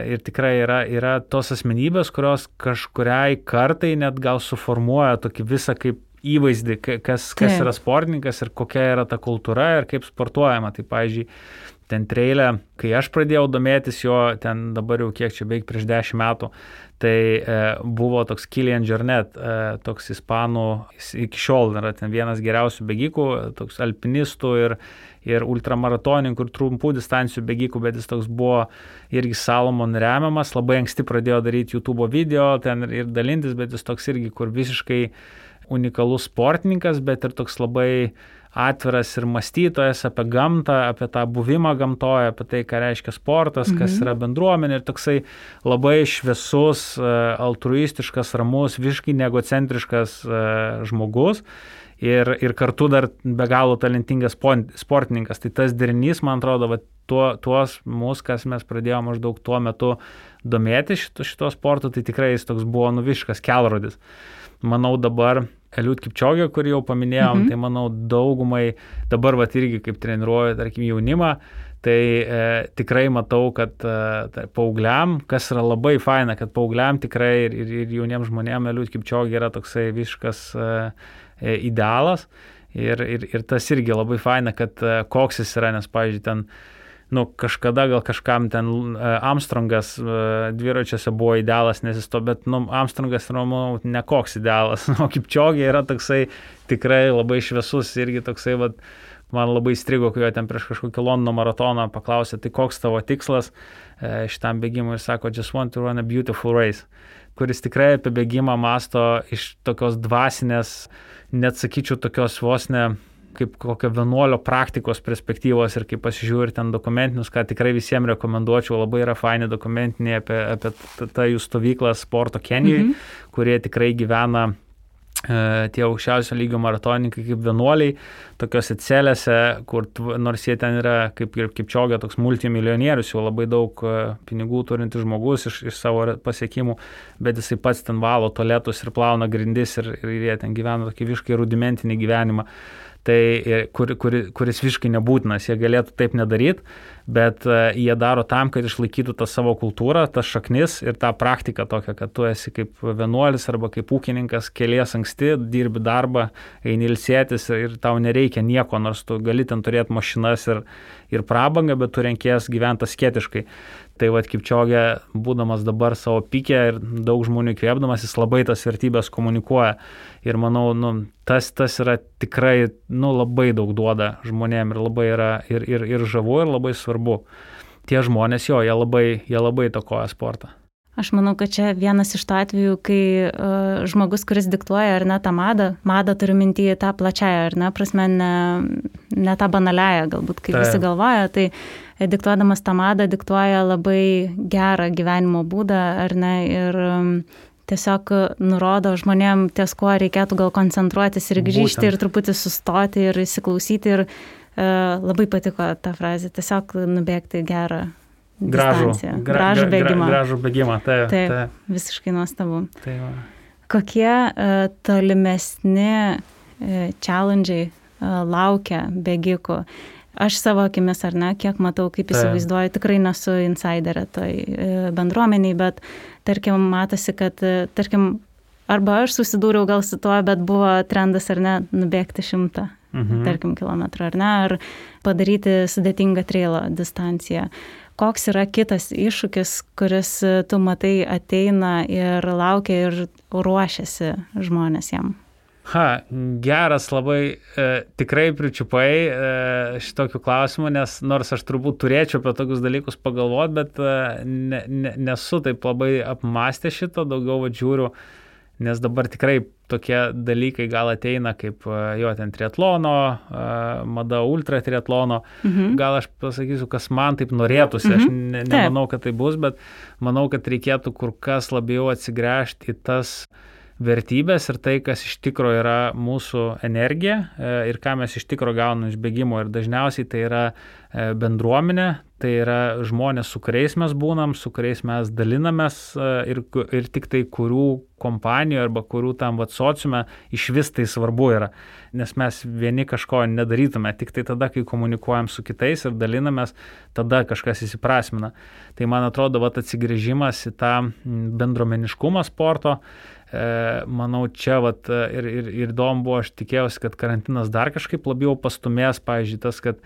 Speaker 1: ir tikrai yra, yra tos asmenybės, kurios kažkuriai kartai net gal suformuoja tokį visą kaip įvaizdį, kas, kas yra sportininkas ir kokia yra ta kultūra ir kaip sportuojama. Tai, pavyzdžiui, ten treilė, kai aš pradėjau domėtis jo, ten dabar jau kiek čia beveik prieš dešimt metų, tai e, buvo toks Kilian Jornet, e, toks ispanų, iki šiol yra ten vienas geriausių bėgikų, toks alpinistų ir, ir ultramaratonininkų ir trumpų distancijų bėgikų, bet jis toks buvo irgi Salomon remiamas, labai anksti pradėjo daryti YouTube video ten ir, ir dalintis, bet jis toks irgi, kur visiškai unikalus sportininkas, bet ir toks labai atviras ir mąstytojas apie gamtą, apie tą buvimą gamtoje, apie tai, ką reiškia sportas, kas mhm. yra bendruomenė ir toksai labai šviesus, altruistiškas, ramus, visiškai neegocentriškas žmogus ir, ir kartu dar be galo talentingas sportininkas. Tai tas derinys, man atrodo, va, tuo, tuos mūsų, kas mes pradėjome maždaug tuo metu domėti šito, šito sporto, tai tikrai jis toks buvo nuviškas kelrodis. Manau dabar Eliud Kipčiogė, kurį jau paminėjom, mhm. tai manau daugumai, dabar vat irgi kaip treniruoju, tarkim, jaunimą, tai e, tikrai matau, kad e, paaugliam, kas yra labai faina, kad paaugliam tikrai ir, ir, ir jauniems žmonėms Eliud Kipčiogė yra toksai visiškas e, e, idealas ir, ir, ir tas irgi labai faina, kad e, koks jis yra, nes, pavyzdžiui, ten nu, kažkada gal kažkam ten Armstrongas dviračiuose buvo idealas, nes jis to, bet nu, Armstrongas yra, manau, nekoks idealas. O Kipčiogė yra toksai tikrai labai šviesus irgi toksai, vat, man labai strigo, kai jo ten prieš kažkokį Londono maratoną paklausė, tai koks tavo tikslas šitam bėgimui ir sako, just want to run a beautiful race, kuris tikrai apie bėgimą masto iš tokios dvasinės, net sakyčiau, tokios vos ne kaip kokio vienuolio praktikos perspektyvos ir kaip pasižiūri ten dokumentinius, ką tikrai visiems rekomenduočiau, labai yra faini dokumentiniai apie, apie tą jų stovyklą sporto Kenijoje, mm-hmm. kurie tikrai gyvena e, tie aukščiausio lygio maratonininkai kaip vienuoliai, tokiose celėse, kur nors jie ten yra kaip ir Kipčiogė, toks multimilijonierius, jau labai daug e, pinigų turintis žmogus iš, iš savo pasiekimų, bet jisai pats ten valo tualetus ir plauna grindis ir, ir jie ten gyvena tokį visiškai rudimentinį gyvenimą. tai kur, kur, kuris visiškai nebūtinas, jie galėtų taip nedaryti, bet jie daro tam, kad išlaikytų tą savo kultūrą, tas šaknis ir tą praktiką tokią, kad tu esi kaip vienuolis arba kaip ūkininkas, kelies anksti, dirbi darbą, eini ilsėtis ir tau nereikia nieko, nors tu gali ten turėti mašinas ir, ir prabangą, bet tu renkies gyventi asketiškai. Tai vat Kipčiogė, būdamas dabar savo pike ir daug žmonių įkvėpdamas, jis labai tas vertybės komunikuoja. Ir manau, nu, tas, tas yra tikrai nu, labai daug duoda žmonėm ir labai yra ir, ir, ir žavu, ir labai svarbu. Tie žmonės jo, jie labai, jie labai įtakoja sportą.
Speaker 2: Aš manau, kad čia vienas iš tų atvejų, kai uh, žmogus, kuris diktuoja ar ne tą madą, madą turiu mintyje tą plačiąją, ar ne, prasme, ne, ne tą banaliąją, galbūt, kaip tai visi galvoja, tai diktuodamas tą madą diktuoja labai gerą gyvenimo būdą, ar ne, ir um, tiesiog nurodo žmonėm, ties kuo reikėtų gal koncentruotis ir grįžti Būtent. Ir truputį sustoti ir įsiklausyti ir uh, labai patiko ta frazė, tiesiog nubėgti gerą
Speaker 1: Gražų, gra,
Speaker 2: gražų bėgimą.
Speaker 1: Gra, gražų bėgimą, taip.
Speaker 2: Taip,
Speaker 1: taip.
Speaker 2: Visiškai nuostabu.
Speaker 1: Taip.
Speaker 2: Kokie uh, tolimesni uh, challenge'ai uh, laukia bėgikų? Aš savo akimis, ar ne, kiek matau, kaip įsivaizduoju, tikrai nesu insiderė toj uh, bendruomeniai, bet tarkim, matosi, kad, uh, tarkim, arba aš susidūriau gal su tuo, bet buvo trendas, ar ne, nubėgti šimtą, mhm. tarkim, kilometrų, ar ne, ar padaryti sudėtingą trailo distanciją. Koks yra kitas iššūkis, kuris tu matai ateina ir laukia ir ruošiasi žmonės jam?
Speaker 1: Ha, geras labai, e, tikrai pričiupai e, šitokių klausimų, nes nors aš turbūt turėčiau apie tokius dalykus pagalvoti, bet e, ne, ne, nesu taip labai apmastę šito, daugiau va, žiūriu, nes dabar tikrai tokie dalykai gal ateina kaip jo ten triatlono, mada ultra triatlono. Mhm. Gal aš pasakysiu, kas man taip norėtųsi, mhm. aš ne, nemanau, kad tai bus, bet manau, kad reikėtų kur kas labiau atsigręžti į tas vertybės ir tai, kas iš tikro yra mūsų energija ir ką mes iš tikro gauname iš bėgimo. Ir dažniausiai tai yra bendruomenė, tai yra žmonės, su kuriais mes būnam, su kuriais mes dalinamės ir, ir tik tai kurių kompanijų arba kurių tam vat sociume iš vis tai svarbu yra. Nes mes vieni kažko nedarytume, tik tai tada, kai komunikuojam su kitais ir dalinamės, tada kažkas įsiprasmina. Tai man atrodo, vat atsigrįžimas į tą bendruomeniškumą sporto, manau, čia vat, ir, ir, ir įdomu buvo, aš tikėjausi, kad karantinas dar kažkaip labiau pastumės, pavyzdžiui, tas, kad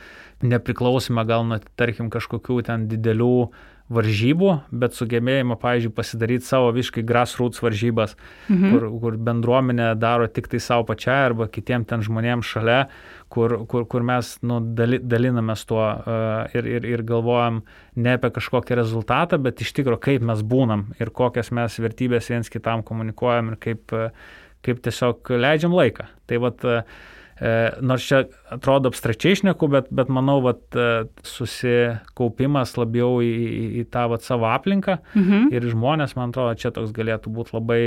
Speaker 1: nepriklausime gal nuo, tarkim, kažkokių ten didelių varžybų, bet sugebėjimą, pavyzdžiui, pasidaryti savo visiškai grassroots varžybas, mhm. kur, kur bendruomenė daro tik tai savo pačiai arba kitiem ten žmonėms šalia, kur, kur, kur mes nu, dali, dalinamės tuo uh, ir, ir, ir galvojam ne apie kažkokį rezultatą, bet iš tikro, kaip mes būnam ir kokias mes vertybės viens kitam komunikuojam ir kaip, uh, kaip tiesiog leidžiam laiką. Tai vat, uh, nors čia atrodo abstrakčiai šneku, bet, bet manau, vat, susikaupimas labiau į, į, į tą vat, savo aplinką mhm. ir žmonės, man atrodo, čia toks galėtų būti labai,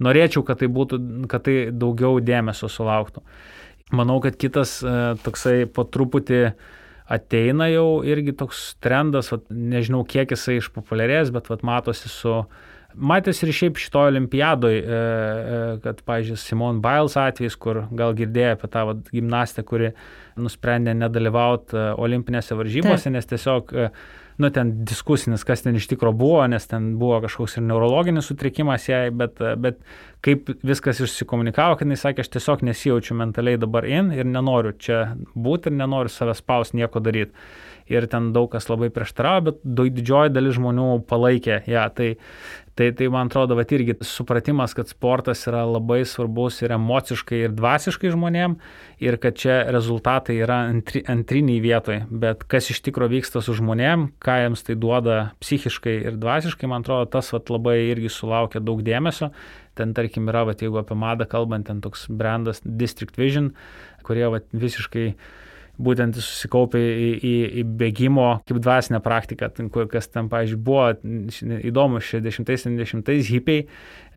Speaker 1: norėčiau, kad tai būtų, kad tai daugiau dėmesio sulauktų. Manau, kad kitas toksai po truputį ateina jau irgi toks trendas, vat, nežinau, kiek jisai išpopuliarės, bet vat, matosi su Matės ir šiaip šitoje olimpiadoje, kad, pavyzdžiui, Simone Biles atvejis, kur gal girdėjo apie tą vat, gimnastę, kuri nusprendė nedalyvauti olimpinėse varžybose, Taip. Nes tiesiog, nu, ten diskusinis, kas ten iš tikro buvo, nes ten buvo kažkoks ir neurologinis sutrikimas jai, bet, bet kaip viskas išsikomunikavo, kad jis sakė, aš tiesiog nesijaučiu mentaliai dabar in ir nenoriu čia būti ir nenoriu savęs spaust nieko daryti. Ir ten daug kas labai prieštaravo, bet didžioji dalis žmonių palaikė ją. Tai, tai, tai man atrodo, vat irgi supratimas, kad sportas yra labai svarbus ir emociškai, ir dvasiškai žmonėm, ir kad čia rezultatai yra antri, antriniai vietoj, bet kas iš tikro vyksta su žmonėm, ką jiems tai duoda psichiškai ir dvasiškai, man atrodo, tas vat labai irgi sulaukia daug dėmesio. Ten, tarkim, yra, vat, jeigu apie madą kalbant, ten toks brandas District Vision, kurie vat, visiškai būtent susikaupė į, į, į bėgimo kaip dvasinę praktiką, ten, kas ten, pavyzdžiui, buvo įdomu, šešiasdešimtais septyniasdešimtais hipiai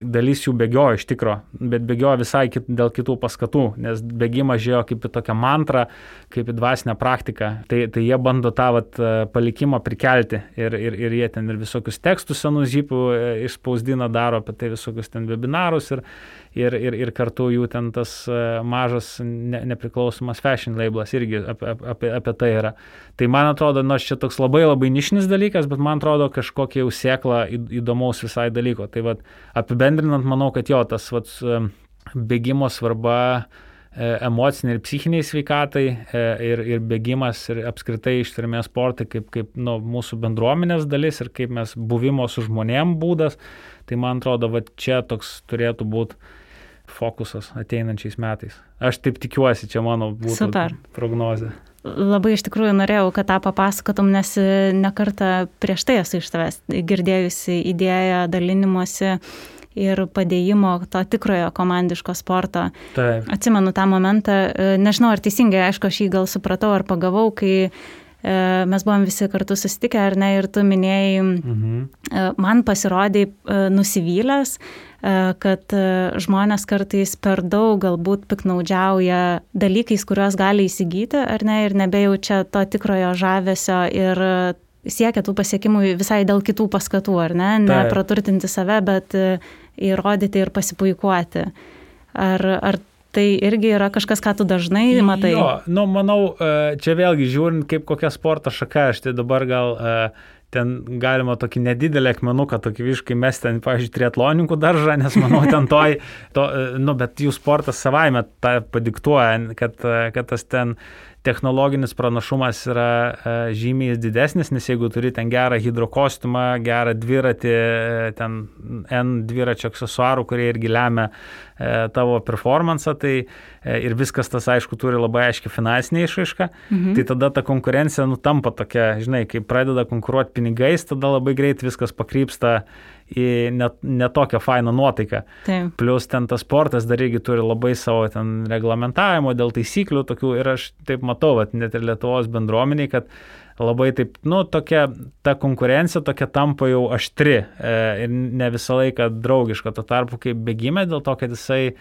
Speaker 1: dalis jų bėgiojo iš tikro, bet bėgiojo visai kit, dėl kitų paskatų, nes bėgimas žiūrėjo kaip į tokią mantrą, kaip į dvasinę praktiką. Tai, tai jie bando tą vat, palikimą prikelti ir, ir, ir jie ten ir visokius tekstus senų žypų išspausdina, daro apie tai visokius ten webinarus ir, ir, ir, ir kartu jų ten tas mažas ne, nepriklausomas fashion labelas irgi apie, apie, apie tai yra. Tai man atrodo, nors čia toks labai labai nišinis dalykas, bet man atrodo kažkokia jau sėkla įdomaus visai dalyko. Tai vat, apibendrinant, manau, kad jo, tas vat, bėgimo svarba emociniai ir psichiniai sveikatai ir, ir bėgimas ir apskritai ištvermės sportai kaip, kaip nu, mūsų bendruomenės dalis ir kaip mes buvimo su žmonėm būdas. Tai man atrodo, va čia toks turėtų būti fokusas ateinančiais metais. Aš taip tikiuosi, čia mano būtų Super. Prognozė.
Speaker 2: Labai iš tikrųjų norėjau, kad tą papasakotum, nes nekartą prieš tai esu iš tavęs girdėjusi idėją dalinimuose ir padėjimo to tikrojo komandiško sporto.
Speaker 1: Taip.
Speaker 2: Atsimenu tą momentą, nežinau ar teisingai, aišku, aš jį gal supratau ar pagavau, kai mes buvom visi kartu susitikę, ar ne, ir tu minėjai, mhm. man pasirodė nusivylęs, kad žmonės kartais per daug galbūt piknaudžiauja dalykais, kuriuos gali įsigyti, ar ne, ir nebejaučia to tikrojo žavesio ir siekia tų pasiekimų visai dėl kitų paskatų, ar ne, ne
Speaker 1: Taip.
Speaker 2: Praturtinti save, bet įrodyti ir pasipuikuoti. Ar, ar tai irgi yra kažkas, ką tu dažnai matai?
Speaker 1: Jo, nu, manau, čia vėlgi žiūrint, kaip kokia sporto šaka, aš tai dabar gal ten galima tokį nedidelį akmenuką, tokį visiškai mes ten, pavyzdžiui, triatloninkų daržą, nes manau, ten toj, to, nu, bet jų sportas savaime tą padiktuoja, kad, kad tas ten technologinis pranašumas yra žymiai didesnis, nes jeigu turi ten gerą hidrokostiumą, gerą dviratį, ten N dviračio aksesuarų, kurie irgi lemia tavo performansą, tai ir viskas tas, aišku, turi labai aiškiai finansinę išraišką, mhm. tai tada ta konkurencija nutampa tokia, žinai, kai pradeda konkuruoti pinigais, tada labai greit viskas pakrypsta į net, net tokią fainą nuotaiką.
Speaker 2: Taip.
Speaker 1: Plius ten tas sportas dar irgi turi labai savo ten reglamentavimo dėl taisyklių tokių ir aš taip matau, vat, net ir Lietuvos bendruomeniai, kad labai taip, nu, tokia, ta konkurencija tokia tampa jau aštri e, ir ne visą laiką draugiška, tuo tarpu kaip bėgime, dėl to, kad jisai e,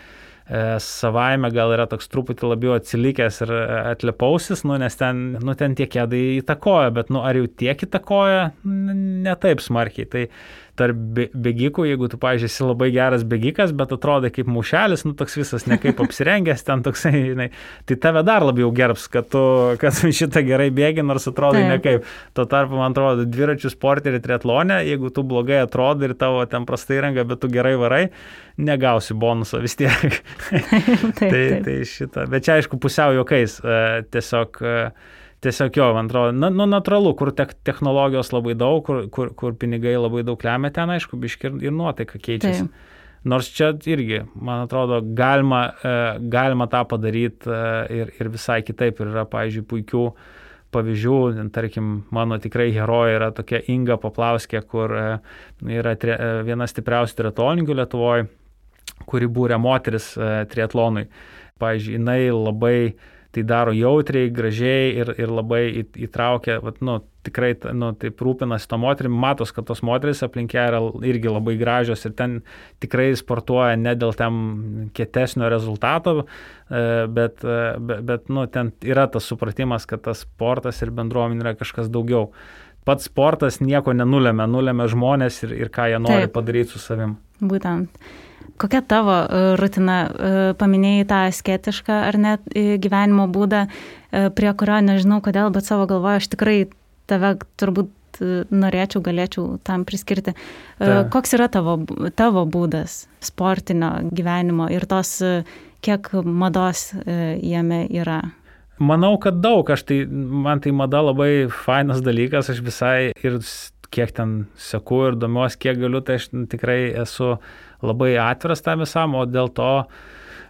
Speaker 1: savaime gal yra toks truputį labiau atsilikęs ir atlepausis, nu, nes ten, nu, ten tie kėdai įtakoja, bet nu, ar jau tiek įtakoja, ne taip smarkiai. Tai tarp bėgikų, jeigu tu, pavyzdžiui, esi labai geras bėgikas, bet atrodai kaip maušelis, nu, toks visas nekaip apsirengęs, ten toksai, žinai, tai tave dar labiau gerbs, kad tu, kad šitą gerai bėgi, nors atrodai Taip. Nekaip. Tuo tarpu, man atrodo, dviračių sporte ir triatlone, jeigu tu blogai atrodai ir tavo ten prastai įranga, bet tu gerai varai, negausi bonusą vis tiek.
Speaker 2: taip,
Speaker 1: tai,
Speaker 2: taip.
Speaker 1: tai šitą. Bet čia, aišku, pusiau juokais, tiesiog... Tiesiog jo, man atrodo, na, nu, natūralu, kur te technologijos labai daug, kur, kur, kur pinigai labai daug lemia, ten, aišku, biški ir, ir nuotaika keičiasi. Taip. Nors čia irgi, man atrodo, galima, galima tą padaryti ir, ir visai kitaip. Ir yra, pavyzdžiui, puikių pavyzdžių, tarkim, mano tikrai herojai yra tokia Inga Paplauskė, kur yra tri, viena stipriausių triatlonininkų Lietuvoje, kuri būrė moteris triatlonui. Pavyzdžiui, jinai labai tai daro jautriai, gražiai ir, ir labai įtraukia, vat, nu, tikrai, nu, taip rūpinasi to moterim, matos, kad tos moteris aplinkė yra irgi labai gražios ir ten tikrai sportuoja ne dėl ten kietesnio rezultato, bet, bet, bet nu, ten yra tas supratimas, kad tas sportas ir bendruomenė yra kažkas daugiau. Pats sportas nieko nenulėmė, nulėmė žmonės ir, ir ką jie nori Taip. Padaryti su savim.
Speaker 2: Būtent. Kokia tavo rutina, paminėjai tą asketišką ar net gyvenimo būdą, prie kurio nežinau kodėl, bet savo galvoje aš tikrai tave turbūt norėčiau, galėčiau tam priskirti. Ta. Koks yra tavo, tavo būdas sportinio gyvenimo ir tos, kiek mados jame yra?
Speaker 1: Manau, kad daug. Aš tai, man tai mada labai fainas dalykas, aš visai ir kiek ten seku ir domiuosi, kiek galiu, tai aš tikrai esu labai atviras tam visam, o dėl to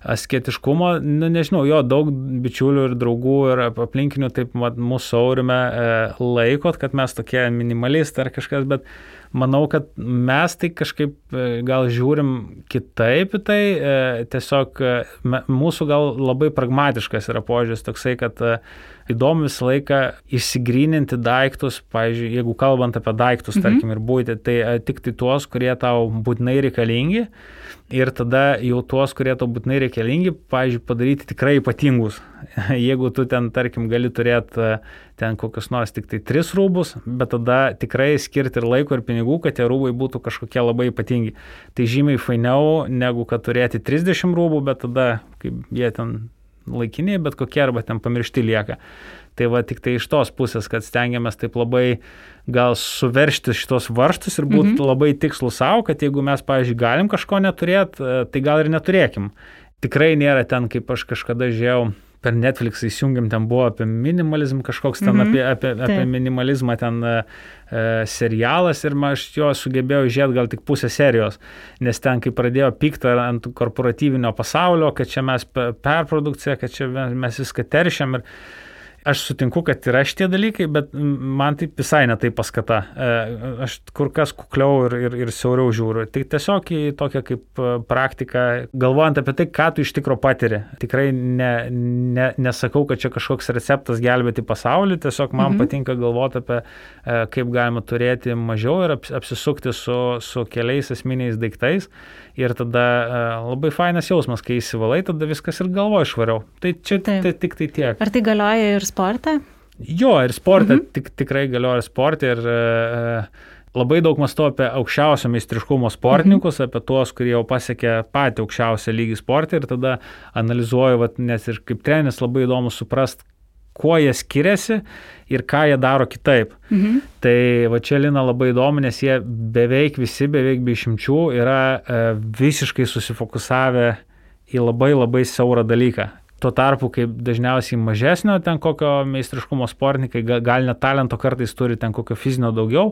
Speaker 1: asketiškumo, nu, nežinau, jo, daug bičiulių ir draugų ir aplinkinių taip mūsų aurime e, laikot, kad mes tokie minimalistai ar kažkas, bet manau, kad mes tai kažkaip gal žiūrim kitaip į tai, tiesiog mūsų gal labai pragmatiškas yra požiūris toksai, kad įdomu visą laiką išsigryninti daiktus, pavyzdžiui, jeigu kalbant apie daiktus, mhm. tarkim, ir būti, tai tik tai tuos, kurie tau būtinai reikalingi ir tada jau tuos, kurie tau būtinai reikalingi, pavyzdžiui, padaryti tikrai ypatingus. Jeigu tu ten, tarkim, gali turėti ten kokius nors tik tai tris rūbus, bet tada tikrai skirti ir laiko, ir pinigų, kad tie rūbai būtų kažkokie labai ypatingi. Tai žymiai fainiau, negu kad turėti trisdešimt rūbų, bet tada, kaip jie ten laikiniai, bet kokie arba ten pamiršti lieka. Tai va tik tai iš tos pusės, kad stengiamės taip labai gal suveršti šitos varžtus ir būti mm-hmm. labai tikslų savo, kad jeigu mes, pavyzdžiui, galim kažko neturėti, tai gal ir neturėkim. Tikrai nėra ten, kaip aš kažkada žiūrėjau, per Netflix įsijungiam, ten buvo apie minimalizm, kažkoks ten mm-hmm. apie, apie, apie minimalizmą ten e, serialas ir aš jo sugebėjau žiūrėti gal tik pusę serijos, nes ten, kai pradėjo pykti ant korporatyvinio pasaulio, kad čia mes perprodukcija, kad čia mes viską teršiam ir aš sutinku, kad yra šitie dalykai, bet man taip visai ne tai paskata. Aš kur kas kukliau ir, ir, ir siauriau žiūriu. Tai tiesiog į tokią kaip praktiką, galvojant apie tai, ką tu iš tikro patiri. Tikrai ne, ne, nesakau, kad čia kažkoks receptas gelbėti pasaulį, tiesiog man mhm. patinka galvoti apie, kaip galima turėti mažiau ir apsisukti su, su keliais esminiais daiktais. Ir tada labai fainas jausmas, kai įsivalai, tada viskas ir galvoje švariau. Tai čia tai, tik tai tiek.
Speaker 2: Ar tai galioja ir sporte?
Speaker 1: Jo, ir sporte, mhm. tik, tikrai galioja ir sporte. Ir e, labai daug mąstau apie aukščiausio meistriškumo sportininkus, mhm. apie tuos, kurie jau pasiekė patį aukščiausią lygį sporte. Ir tada analizuoju, vat, nes ir kaip treneris labai įdomu suprast, kuo jie skiriasi ir ką jie daro kitaip. Mhm. Tai va čia Lina labai įdomu, nes jie beveik visi, beveik be išimčių yra e, visiškai susifokusavę į labai labai siaurą dalyką. Tuo tarpu, kaip dažniausiai mažesnio ten kokio meistriškumo sportininkai, gal net talento kartais turi ten kokio fizinio daugiau,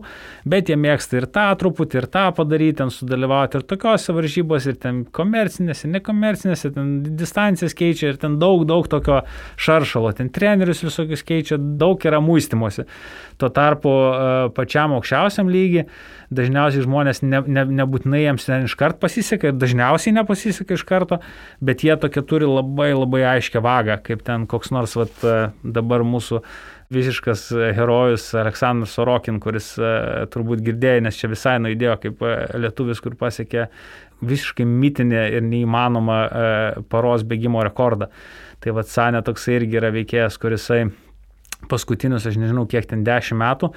Speaker 1: bet jie mėgsta ir tą truputį, ir tą padaryti, ten sudalyvauti ir tokiose varžybos, ir ten komercinėse, nekomercinėse, ten distancijas keičia ir ten daug, daug tokio šaršalo, ten trenerius visokius keičia, daug yra muistymosi. Tuo tarpu pačiam aukščiausiam lygiai dažniausiai žmonės ne, ne, nebūtinai jiems ten iškart pasiseka ir dažniausiai nepasiseka iš karto, bet jie tokie turi labai labai aiškę vagą, kaip ten koks nors vat, dabar mūsų visiškas herojus Aleksandras Sorokin, kuris turbūt girdėjo, nes čia visai nuidėjo kaip lietuvis, kur pasiekė visiškai mitinę ir neįmanomą paros bėgimo rekordą. Tai vat Sanė toksai irgi yra veikėjas, kurisai paskutinius, aš nežinau, kiek ten dešimt metų,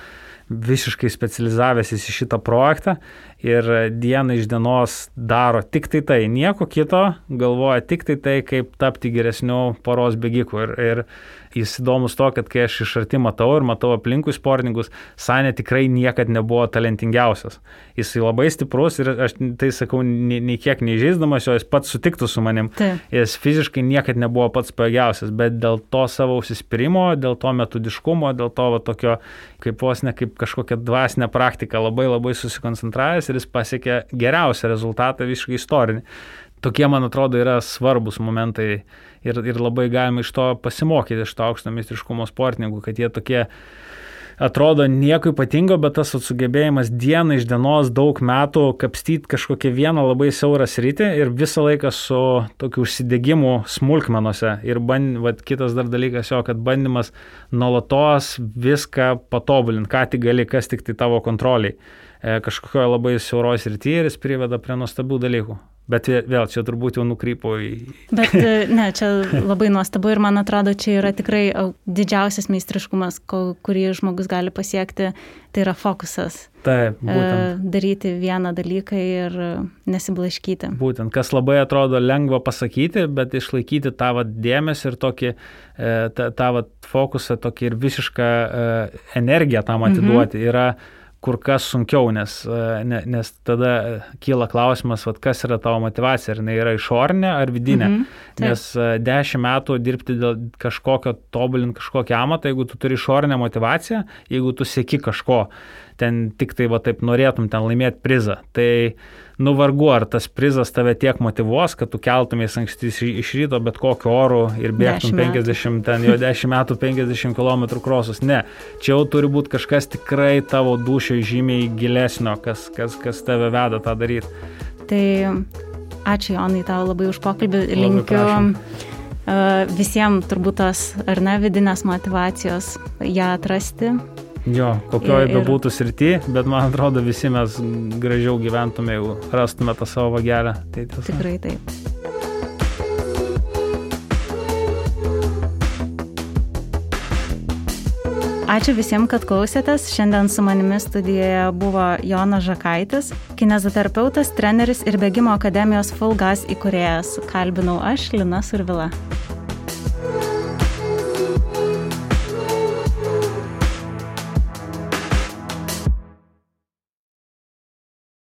Speaker 1: visiškai specializavęsis į šitą projektą ir dieną iš dienos daro tik tai tai, nieko kito, galvoja tik tai tai, kaip tapti geresniu poros bėgiku. Ir, ir jis įdomus to, kad kai aš iš arti matau ir matau aplinkui sportininkus, Sanė tikrai niekad nebuvo talentingiausias. Jis labai stiprus ir aš tai sakau, nei, nei kiek neįžeisdamas jo, jis pats sutiktų su manim. Tai. Jis fiziškai niekad nebuvo pats pajėgiausias, bet dėl to savo užsispyrimo, dėl to metodiškumo, dėl to va, tokio kaip vos ne kaip kažkokia dvasinė praktika, labai labai susikoncentravęs ir jis pasiekė geriausią rezultatą visiškai istorinį. Tokie, man atrodo, yra svarbus momentai ir, ir labai galima iš to pasimokyti, iš to aukšto meistriškumo sportininkų, kad jie tokie atrodo nieko ypatingo, bet tas sugebėjimas dieną iš dienos daug metų kapstyti kažkokią vieną labai siaurą sritį ir visą laiką su tokiu užsidegimu smulkmenose. Ir band, vat, kitas dar dalykas jo, kad bandymas nuolatos viską patobulinti, ką tik gali, kas tik tai tavo kontroliai. E, kažkokioje labai siauros srityje ir jis priveda prie nuostabių dalykų. Bet vėl čia turbūt jau nukrypo į...
Speaker 2: Bet ne, čia labai nuostabu ir man atrodo, čia yra tikrai didžiausias meistriškumas, kurį žmogus gali pasiekti, tai yra fokusas.
Speaker 1: Taip, būtent.
Speaker 2: Daryti vieną dalyką ir nesiblaškyti.
Speaker 1: Būtent, kas labai atrodo lengva pasakyti, bet išlaikyti tą vat dėmesį ir tokį, tą, tą vat fokusą, tokį ir visišką energiją tam atiduoti mhm. yra kur kas sunkiau, nes, nes tada kyla klausimas, vat, kas yra tavo motivacija, ar jinai yra išorinė ar vidinė. Mm-hmm. Nes dešimt metų dirbti dėl kažkokio, tobulinti kažkokią amatą, jeigu tu turi išorinę motivaciją, jeigu tu sieki kažko, ten tik tai va taip norėtum ten laimėti prizą. Tai nu vargu, ar tas prizas tave tiek motyvuos, kad tu keltumės anksti iš ryto bet kokiu oru ir bėgtum penkiasdešimt, ten jau dešimt metų penkiasdešimt kilometrų krosus. Ne, čia jau turi būti kažkas tikrai tavo dūšiai žymiai gilesnio, kas, kas, kas tave veda tą daryti.
Speaker 2: Tai ačiū, Jonai, tau labai už pokalbį. Linkiu uh, visiems turbūt tos, ar ne, vidinės motyvacijos ją atrasti.
Speaker 1: Jo, kokioje bebūtų srity, bet man atrodo visi mes gražiau gyventume, jeigu rastume tą savo vagelę. Tai
Speaker 2: tikrai taip. Ačiū visiems, kad klausėtės. Šiandien su manimi studijoje buvo Jonas Žakaitis, kineziterapeutas, treneris ir bėgimo akademijos Full Gas įkūrėjas. Kalbinau aš, Lina Survila.